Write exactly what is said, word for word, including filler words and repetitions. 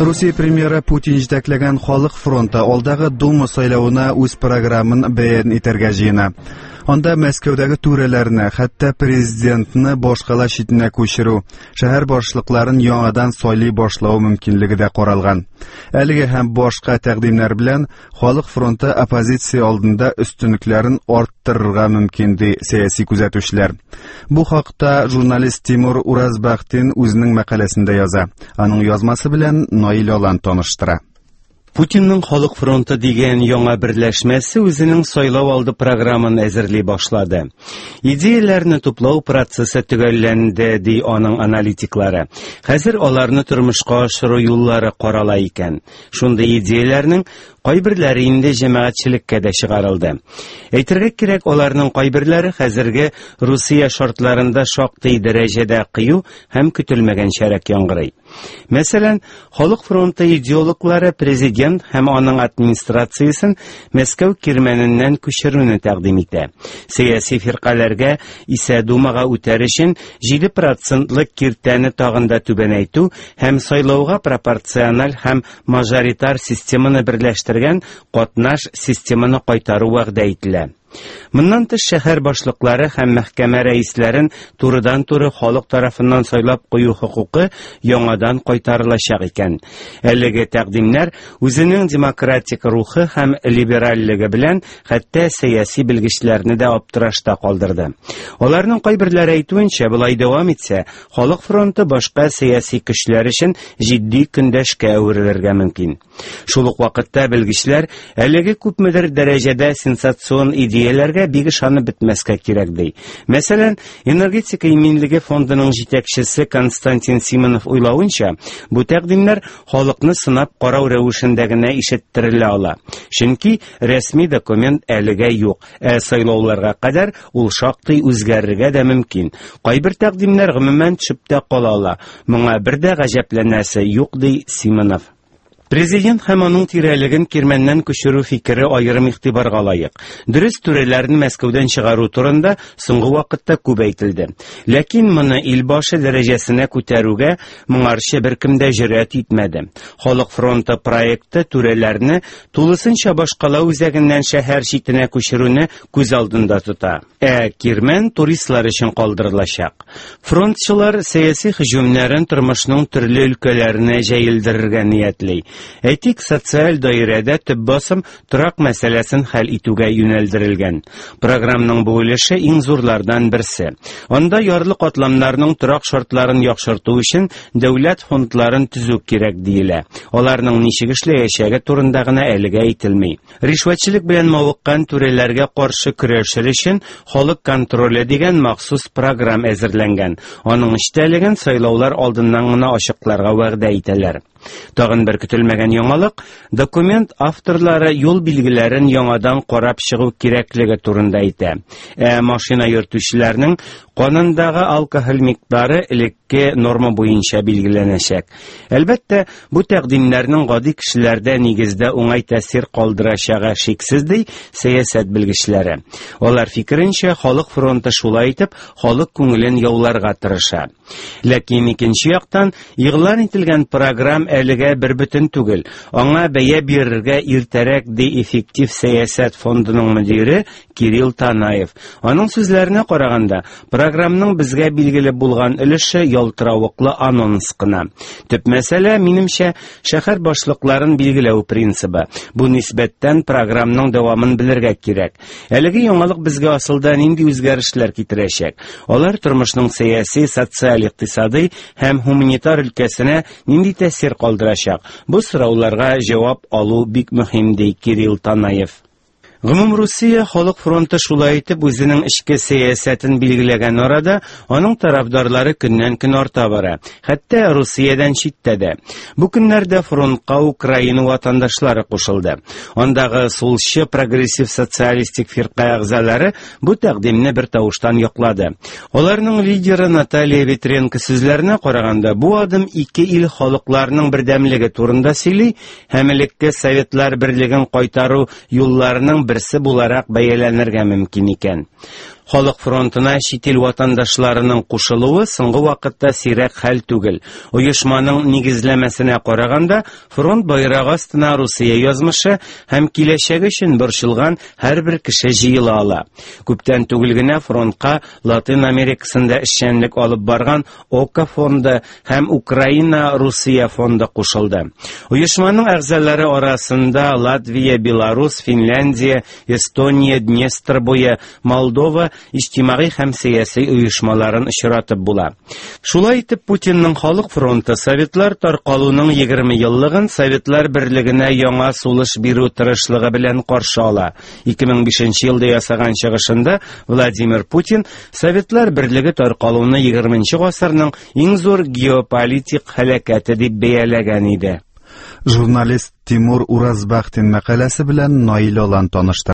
Русия премьеры Путин җитәкләгән Халык фронты алдагы Дума сайлавына үз програмын бәян итәргә җыена. Анда Мәскәүдәге түрәләрне, хәтта президентны башкала читенә күчерү, шәһәр башлыкларын яңадан сайлый башлау мөмкинлеге дә каралган. Әлеге һәм башка тәкъдимнәр белән Халык фронты оппозиция алдында өстенлекләрен арттырырга мөмкин, ди сәяси күзәтүчеләр. Бу хакта журналист Тимур Уразбахтин үзенең мәкаләсендә яза. Аның язмасы белән Наил Алан таныштыра. Путинның Халык фронты дигән яңа берләшмәсе үзенең сайлау алды програмын әзерли башлады. Идеяләрне туплау процессы төгәлләнде, ди аның аналитиклары. Хәзер аларны тормышка ашыру юллары карала икән. Шундый идеяләрнең кайберләре инде җәмәгатьчелеккә дә чыгарылды. Әйтергә кирәк, аларның кайберләре хәзерге Русия шартларында шактый дәрәҗәдә кыю һәм көтелмәгәнчәрәк яңгырый. Мәсәлән, Халык фронты идеологлары президент һәм аның администрациясен Мәскәү кирмәненнән күчерүне тәкъдим итә. Сәяси фиркаләргә исә Думага үтәр өчен җиде процентлык киртәне тагын да түбәнәйтү һәм сайлауга пропорциональ һәм мажоритар системаны берләштергән катнаш системаны кайтару вәгъдә ителә. Моннан тыш шәһәр башлыклары һәм мәхкәмә рәисләрен турыдан-туры халык тарафыннан сайлап кую хокукы яңадан кайтарылачак икән. Әлеге тәкъдимнәр үзенең демократик рухы һәм либеральлеге белән хәтта сәяси белгечләрне дә аптырашта калдырды. Аларның кайберләре әйтүенчә, болай дәвам итсә, Халык фронты башка сәяси көчләр өчен җитди көндәшкә әверелергә мөмкин. Шул ук вакытта белгечләр әлеге күпмедер дәрәҗәдә сенсацион идеяләргә бик ышанып бетмәскә кирәк ди. Мәсәлән, энергетика иминлеге фондының җитәкчесе Константин Симонов уйлавынча, бу тәкъдимнәр халыкны сынап карау рәвешендә генә ишеттерелә ала. Чөнки рәсми документ әлегә юк, ә сайлауларга кадәр ул шактый үзгәрергә дә мөмкин. Кайбер тәкъдимнәр гомумән төшеп тә кала ала. Моңа бер дә гаҗәпләнәсе юк, ди Симонов. Президент һәм аның тирәлеген кирмәннән күчерү фикере аерым игътибарга лаек. Дөрес, түрәләрне Мәскәүдән чыгару турында соңгы вакытта күп әйтелде. Ләкин моны илбашы дәрәҗәсенә күтәрүгә моңарчы беркем дә җөрьәт итмәде. Халык фронты проекты түрәләрне тулысынча башкала үзәгеннән шәһәр читенә күчерүне күз алдында тота. Ә кирмән туристлар өчен калдырылачак. Фронтчылар сәяси һөҗүмнәрен тормышның төрле өлкәләренә җәелдерергә ниятли. Әйтик, социаль даирәдә төп басым торак мәсьәләсен хәл итүгә юнәлдерелгән. Програмның бу өлеше иң зурлардан берсе. Анда ярлы катламнарның торак шартларын яхшырту өчен дәүләт фондларын төзү кирәк диелә. Аларның ничек эшләячәге турында гына әлегә әйтелми. Ришвәтчелек белән мавыккан түрәләргә каршы көрәшер өчен халык контроле дигән махсус програм әзерләнгән. Аның эчтәлеген сайлаулар алдыннан гына ачыкларга вәгъдә итәләр. Тагын бер көтелмәгән яңалык, документ авторлары юл билгеләрен яңадан карап чыгу кирәклеге турында әйтә. Ә машина йөртүчеләрнең канындагы алкоголь микъдары элекке норма буенча билгеләнәчәк. Әлбәттә, бу тәкъдимнәрнең гади кешеләрдә нигездә уңай тәэсир калдырачагы шиксез, ди сәясәт белгечләре. Алар фикеренчә, Халык фронты шулай итеп халык күңелен яуларга тырыша. Ләкин икенче яктан, игълан ителгән програм әлегә бер бөтен түгел. Аңа бәя бирергә иртәрәк, ди эффектив сәясәт фондының мөдире Кирилл Танаев. Аның сүзләренә караганда, програмның безгә билгеле булган өлеше ялтыравыклы анонс кына. Төп мәсьәлә, минемчә, шәһәр башлыкларын билгеләү принцибы. Бу нисбәттән програмның дәвамын белергә кирәк. Әлеге яңалык безгә асылда нинди үзгәрешләр китерәчәк? Алар тормышның сәяси, социаль, икътисадый һәм гуманитар өлкәсенә нинди тәэсир калдырачак? Бу сорауларга җавап алу бик мөһим, ди Кирилл Танаев. Гомумрусия Халык фронты шулай итеп үзенең эчке сәясәтен билгеләгән арада аның тарафдарлары көннән-көн арта бара, хәтта Русиядән читтә дә. Бу көннәрдә фронтка Украина ватандашлары кушылды. Андагы сулчы прогрессив социалистик фирка әгъзалары бу тәкъдимне бер тавыштан яклады. Аларның лидеры Наталья Ветренко сүзләренә караганда, бу адым ике ил халыкларының бердәмлеге турында сөйли һәм элекке Советлар берлеген кайтару юлларының берсе буларак бәяләнергә мөмкин икән. Халык фронтына чит ил ватандашларының кушылуы соңгы вакытта сирәк хәл түгел. Оешманың нигезләмәсенә караганда, фронт байрагы астына Русия язмышы һәм киләчәге өчен борчылган һәрбер кеше җыела ала. Күптән түгел генә фронтка Латин Америкасында эшчәнлек алып барган Ока фонды һәм Украина-Русия фонды кушылды. Оешманың әгъзалары арасында Латвия, Беларус, Финляндия, Эстония, Днестр буе, Молдова иҗтимагый һәм сәяси оешмаларын очратып була. Шулай итеп, Путинның Халык фронты Советлар таркалуның егерме еллыгын Советлар берлегенә яңа сулыш бирү тырышлыгы белән каршы ала. ике мең бишенче елда ясаган чыгышында Владимир Путин Советлар берлеге таркалуны егерменче гасырның иң зур геополитик һәлакәте дип бәяләгән иде. Журналист Тимур Уразбахтин мәкаләсе белән Наил Алан таныштырды.